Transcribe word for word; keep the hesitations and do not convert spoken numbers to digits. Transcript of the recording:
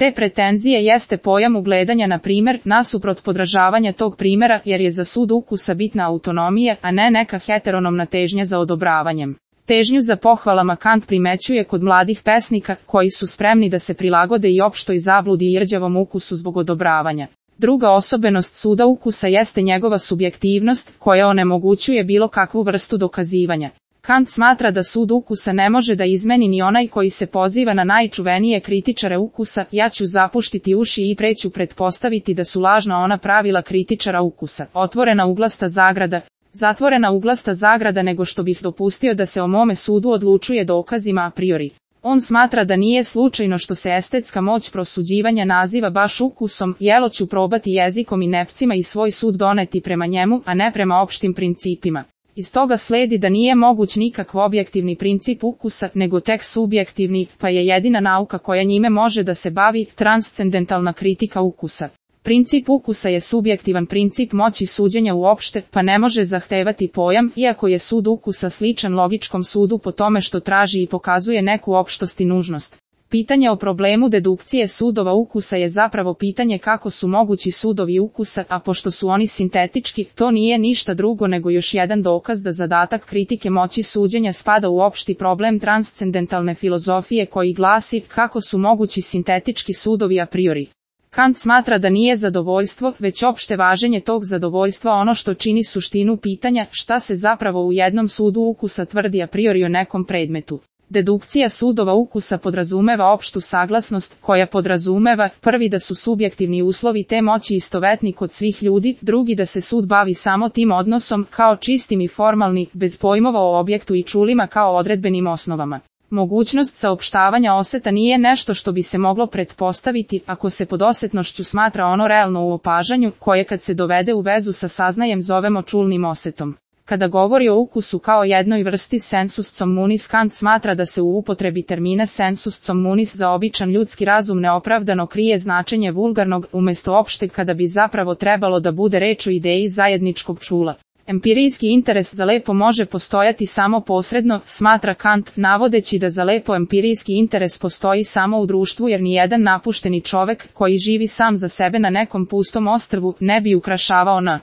te pretenzije jeste pojam ugledanja na primer, nasuprot podražavanja tog primjera jer je za sud ukusa bitna autonomija, a ne neka heteronomna težnja za odobravanjem. Težnju za pohvalama Kant primećuje kod mladih pesnika, koji su spremni da se prilagode i opštoj zabludi i rđavom ukusu zbog odobravanja. Druga osobenost suda ukusa jeste njegova subjektivnost, koja onemogućuje bilo kakvu vrstu dokazivanja. Kant smatra da sud ukusa ne može da izmeni ni onaj koji se poziva na najčuvenije kritičare ukusa, ja ću zapuštiti uši i preću pretpostaviti da su lažna ona pravila kritičara ukusa, otvorena uglasta zagrada, zatvorena uglasta zagrada nego što bih dopustio da se o mome sudu odlučuje dokazima a priori. On smatra da nije slučajno što se estetska moć prosuđivanja naziva baš ukusom, jelo ću probati jezikom i nepcima i svoj sud doneti prema njemu, a ne prema opštim principima. Iz toga sledi da nije moguć nikakav objektivni princip ukusa, nego tek subjektivni, pa je jedina nauka koja njime može da se bavi, transcendentalna kritika ukusa. Princip ukusa je subjektivan princip moći suđenja uopšte, pa ne može zahtevati pojam, iako je sud ukusa sličan logičkom sudu po tome što traži i pokazuje neku opštost i nužnost. Pitanje o problemu dedukcije sudova ukusa je zapravo pitanje kako su mogući sudovi ukusa, a pošto su oni sintetički, to nije ništa drugo nego još jedan dokaz da zadatak kritike moći suđenja spada u opšti problem transcendentalne filozofije koji glasi kako su mogući sintetički sudovi a priori. Kant smatra da nije zadovoljstvo, već opšte važenje tog zadovoljstva ono što čini suštinu pitanja šta se zapravo u jednom sudu ukusa tvrdi a priori o nekom predmetu. Dedukcija sudova ukusa podrazumeva opštu saglasnost, koja podrazumeva, prvi da su subjektivni uslovi te moći istovetni kod svih ljudi, drugi da se sud bavi samo tim odnosom, kao čistim i formalni, bez pojmova o objektu i čulima kao odredbenim osnovama. Mogućnost saopštavanja oseta nije nešto što bi se moglo pretpostaviti, ako se pod osetnošću smatra ono realno u opažanju, koje kad se dovede u vezu sa saznajem zovemo čulnim osetom. Kada govori o ukusu kao jednoj vrsti sensus communis, Kant smatra da se u upotrebi termina sensus communis za običan ljudski razum neopravdano krije značenje vulgarnog, umjesto opšteg kada bi zapravo trebalo da bude reč o ideji zajedničkog čula. Empirijski interes za lepo može postojati samo posredno, smatra Kant, navodeći da za lepo empirijski interes postoji samo u društvu jer nijedan napušteni čovek, koji živi sam za sebe na nekom pustom ostrvu, ne bi ukrašavao na